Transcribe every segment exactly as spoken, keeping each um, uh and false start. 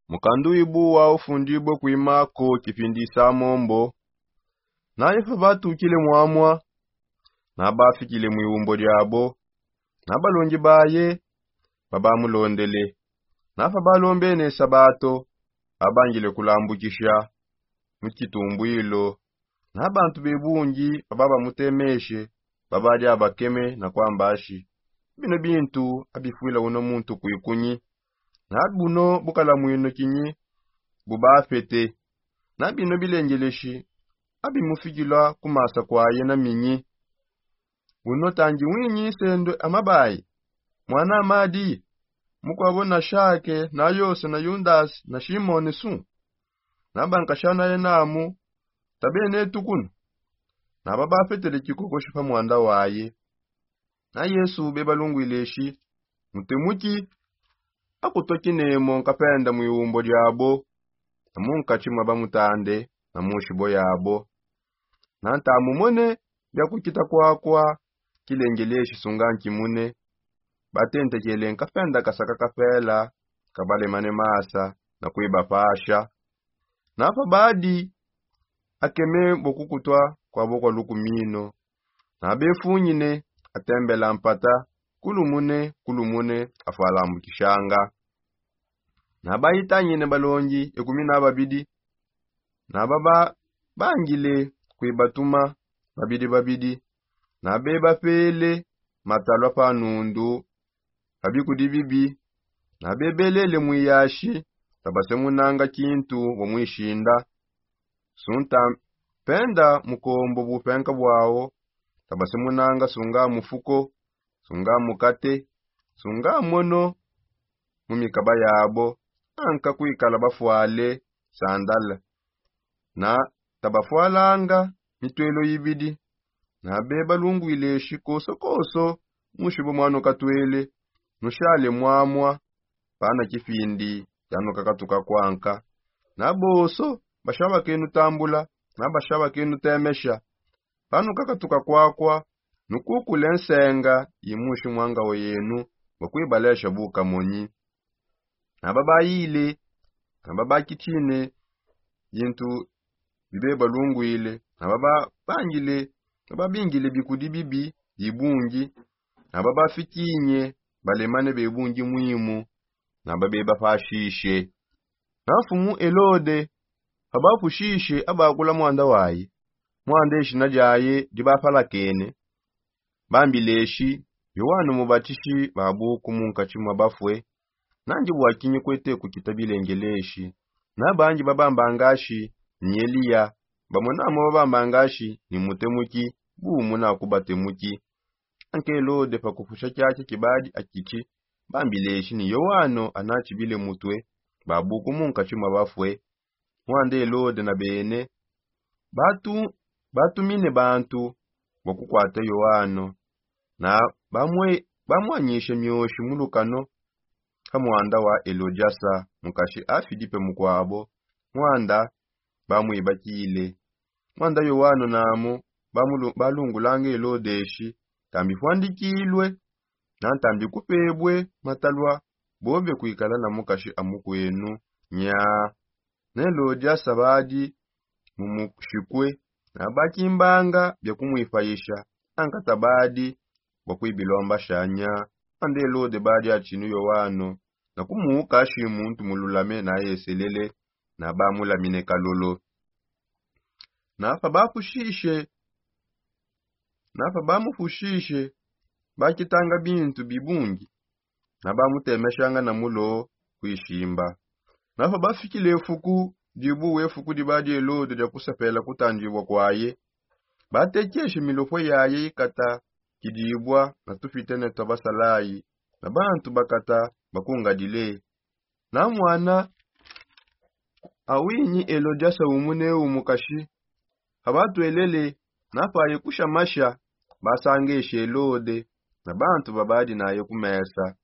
Mukandu ibu wa ufundibue kuimako kipindi samombo. Naye pa batukile mwamwa, na bafikile mu iumbo diabo, na balongi baye babamulondele. Na pa balombene sabato, abangile kulambukisha mu kitumbwilo. Na bantu bebungi babamutemeshe, babadi abakeme na kwamba ashi: "Bino bintu abifwila uno muntu kwikunyi? Na buno bukalamwino kinyi bubafete? Na bino bilengeleshi abimufikila kumasa kwaye na minyi? Uno tangi winyi sendo amabayi, mwana amadi, mukwabo na Shake na Yose na Yundasi na Shimone su? Na bankashana yenamu tabene tukuna?" Na babafetele kikokoshi pa mwanda waye. Na Yesu bebalungwile shi: "Mutemuki, akutwa kinemo nkapenda mu iumbo diabo, na munkatshi mwa bamutande na mu nshibo yabo. Na ntamumone bia kukita kwakwa, kilengeleshi sunga nkimune." Batentekele nkapenda kasaka kapela kabalemane masa na kuibapasha. Na pa badi akeme bo kukutwa kwabo kwa lukumino, na befunyine atembela mpata kulumune kulumune afwalambukishanga. Na bayitangine balongi ekumi na babidi, na baba bangile kuibatuma babidi babidi, na bebapele matalwa pa nundu pa bikudi bibi, na bebelele mwiyashi, tabasemunanga kintu bo mwishinda. Sunta penda mukombo bupenka bwao, tabasemunanga sunga mufuko, sunga mukate, sunga mono mu mikaba yabo, anka kwikala bafwale sandala. Na tabafwalanga mitwelo ibidi. Na bebalungwile shi koso koso mushibo mwano katwele, nushale mwamwa pana kipindi yano kakatuka kwanka. Na boso bashabakenu tambula, na bashabakenu temesha, pano kakatuka kwakwa, nukukule nsenga imushi mwangao yenu, bakwibalesha bukamonyi. Na babayile, na babakitshine bintu bibe balungwile, na bababangile, na babingile bikudi bibi bibungi, na babafikinye balemane bebungi mwimu, na babe bapashishe. Na mfumu Elode abapushishe abakula mwanda waye, mwanda eshina diaye dibapalakene, bambileshi: "Yowane Mubatishi babuku munkatshi mwa bafwe, nangi bwakinyi kwete kukita bilengeleshi? Na bangi babambangashi ni Eliya, bamwe namo babambangashi ni mutemuki, bumu na kubatemuki." Anke Elode pakupusha kiaki kibadi akitshi, bambileshi ni Yowane anatshibile mutwe, babuku munkatshi mwa bafwe. Mwanda Elode na bene batu batumine bantu bua kukwata Yoano, na bamwe bamwanyishe mioshi mu lukano ka mwanda wa Elodiasa, mukashi a Filipe mukuabo, mwanda bamwibakile. Mwanda Yoano namu bamulu- balungulanga Elodeshi, tambi fuandikilwe, na ntambi kupebwe matalua, bobe kuikala na mukashi a mukuenu. Nya ne Lodiasa badi mu mushikue, na bakimbanga bia kumuipayisha, ankata badi bua kuibilombasha. Nya ande Lode badi atshinu Yoano, na kumuuka ashi muntu mululame na ayeselele, na bamulamine kalolo. Na pa bapushishe na pa bamupushishe, bakitanga bintu bibungi, na bamutemeshanga na mulo kuishimba. Na pa bafikile efuku dibuwe, efuku dibadi Elode dia kusepela kutandibua kuaye, batekeshe milopue yaye ikata kidibua na tupitene tua basalayi, na bantu bakata bakungadile. Na mwana awinyi Elodiasa umu ne umu kashi, abatuelele, na paye kusha masha, basangeshe Elode na bantu babadi naye ku mesa.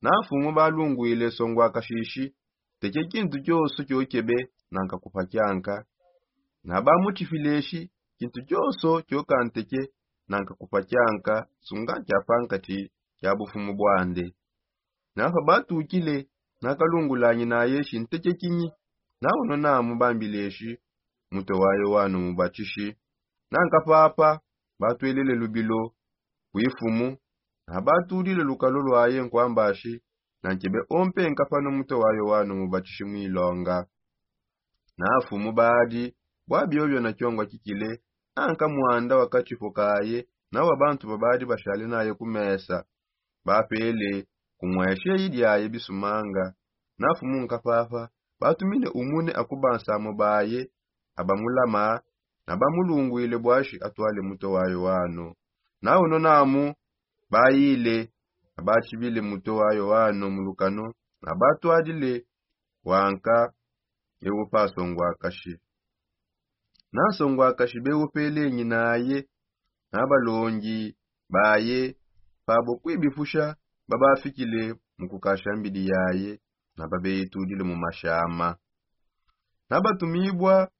Na mfumu balungwile songua kashishi, teke kintu kioso kiokebe nanka kupa kianka. Na bamutshipile shi, kintu kioso kioka nteke nanka kupa kianka, sunga kia pankati kia bufumu buande. Na pa batukile, nakalungulanginaye shinteke kinyi? Nawono namu bambileshi mutwe wa yoano mubatishi. Nankapapa batwelele lubilo kwifumu, nabatulile lukalo lwaye nkwambashi, nankebe ompe nkapano mutwe wa yoano mubatishi mwilonga. Nafumu badi bwa biobio na kiongwa kikile, anka mwanda wa kachipo kaye na wa bantu babadi bashale naye ku mesa bapele kumweshe idiaye bisumanga. Nafumu nkapapa batumine umune akubansamu baye abamulama, nabamulungwile bwashi atwale mutwe wa yoano. Nawono namu bayile, nabatshibile mutwe wa yoano mulukano, nabatwadile wanka ewo pasongwakashi. Nansongwakashi bewupelenyi naye nabalongi baye pabo kwibipusha babafikile mukukasha mbidi yaye, nababeyitudile mu mashama. Nabatumibwa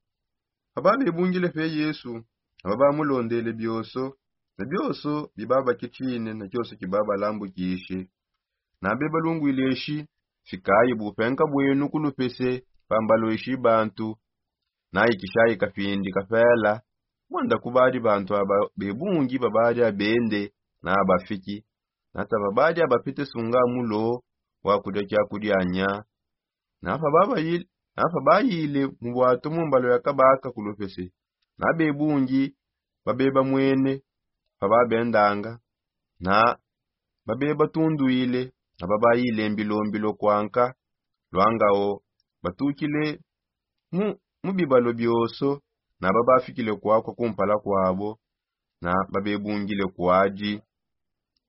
ababebungile pe yesu, ababamulondele bioso na bioso bibabakitshine na kioso kibabalambukishe. Nabebalungwileshi, fikayi bupenka bwenu kulupese pambaloishi bantu. Nayikishayi kapindi kapela, mwanda kubadi bantu aba bebungi babadi abende na abafiki, nata babadi abapite sunga mulo wa kudia kiakudia nya. Nafa bayile mu bwato mu mbalo ya kabaka kulupese, na bebungi babebamwene pababendanga, na babebatundwile, na babayile mbilombilo kwanka lwangao batukile mu bibalo bioso, na babafikile kwakwa kumpala kwabo, na babebungile kwadi.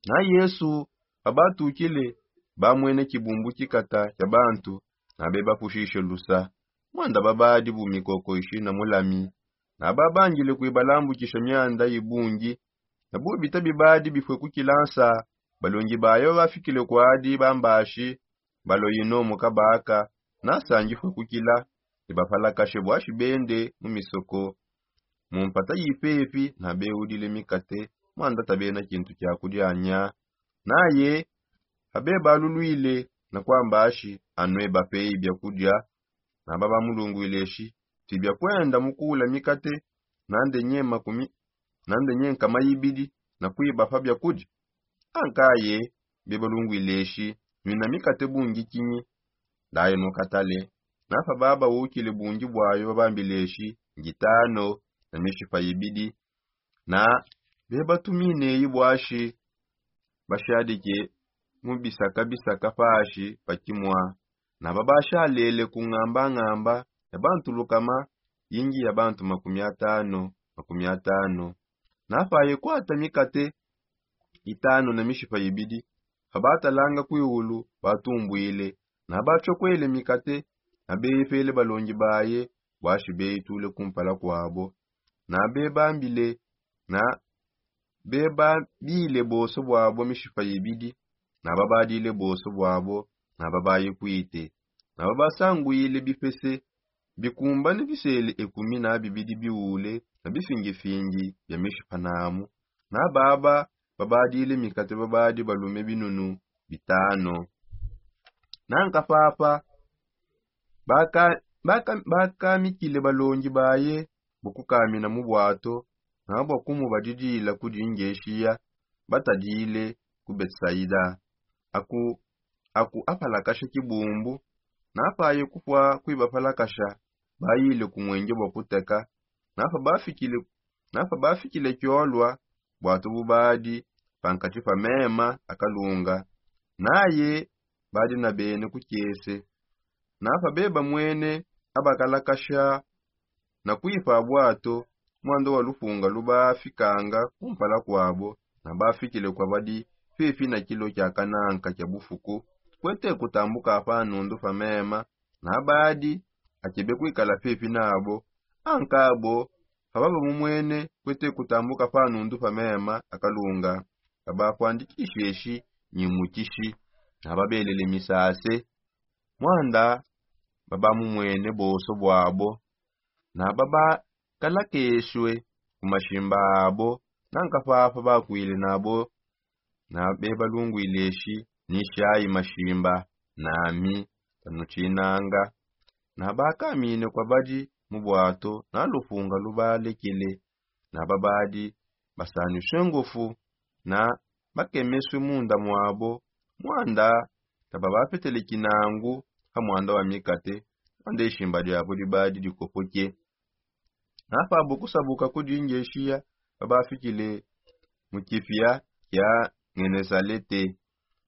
Na yesu pabatukile, bamwene kibumbu kikata kia bantu, na bebapushishe lusa, mwanda babadi bu mikoko ishina mulami, na babangile kuibalambukisha mianda ibungi. Na bubita bibadi bifue kukila nsa, balongi baye babafikile kwadi bambashi, baloyino mu kabaka, na nsangi fue kukila, ne bapalakashe bwashi bende mu misoko mu mpata yipepi, na beudile mikate, mwanda tabena kintu kia kudia nya. Naye pabebalulwile na kwambashi anue bapeyi bia kudia, na babamulungwileshi, ti bia kwenda mu kuula mikate nande nye makumi nande nye nkama ibidi, na kuibapa bia kudia. Ankaye bebalungwileshi, nwina mikate bungi kinyi? Ndaye nukatale. Nafa babawukile bungi bwayo babambileshi, ngitano na mishipa ibidi. Na bebatumine ibwashi bashadike mu bisaka bisaka pashi pa kimwa, na babashalele ku ngamba ngamba ya bantu lukama, yingi ya bantu makumi atano makumi atano. Napaye kwata mikate itano na mishipa ibidi, pabatalanga kwiulu batumbwile, na batshokwele mikate, na beyipele balongi baye, bwashi beyitule kumpala kwabo, na bebambile na bebabile boso bwabo mishipa ibidi, na babadile boso bwabo, na babayikwite, na babasangwile bipese bikumbane bisele ekumi na bibidi biule na bifingifingi bia mishipa namu. Na baba babadile mikate babadi balume binunu bitano. Nanka papa bakamikile balongi baye bua kukamina mu bwato, na bua kumubadidila kudi ngeshiya batadile ku betsaida. Aku apalakasha kibumbu. Napaye kupua kuibapalakasha, bayile ku muenge bua kuteka. Napa bafikile kiolua bwatu bubadi pankatshi pa mema akalunga, naye badi na bene ku kiese. Napa beba mwene abakalakasha na kuipa bwatu, mwanda wa lupunga lubafikanga kumpala kwabo, na bafikile kwa badi pepi na kilo kia kananka kia bufuku, kuete kutambuka pa nundu pa mema. Na badi akebe kuikala pepi nabo. Ankabo pababa mumwene kuete kutambuka pa nundu pa mema akalunga, babakuandikisheshi nyimukishi, na babelele misase. Mwanda babamumwene bonso bwabo, na babakalakeshwe ku mashimba abo. Nanka papa bakwile nabo, na bebalungwileshi nishayi mashimba nami. Nanu tshinanga na bakamine kwa badi mu bwato na lufunga lubalekele. Na babadi basanushe ngofu na bakemeswe munda mwabo, mwanda tababapetele kinangu ha mwanda wa mikate, mwanda ishimba diabo dibadi dikopoke. Na pabo kusabuka kudi ngeshiya babafikile mu kipia kia ngenesalete.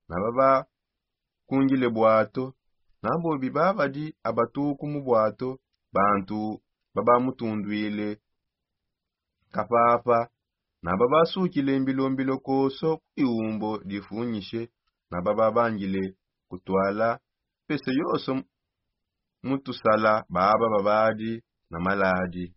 Na babakungile bwato na bobi babadi abatuku mu bwato, bantu babamutundwile kapapa na babasukile mbilombilo koso ku iumbo difunyishe. Na bababangile kutwala pese yoso mu tusala baba babadi na maladi.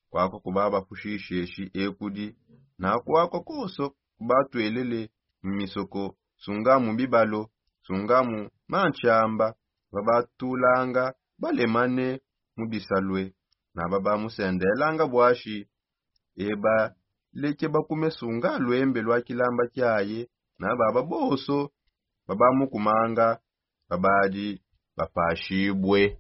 Kwakwa kubabapushisheshi ekudi na kwakwa koso kubatwelele mu misoko, sunga mu bibalo, sunga mu manshamba. Babatulanga balemane mu bisalue na babamusendelanga bwashi. Eba leke bakume sunga lwembe lwa kilamba kiaye na baba boso babamukumanga babadi bapashibue.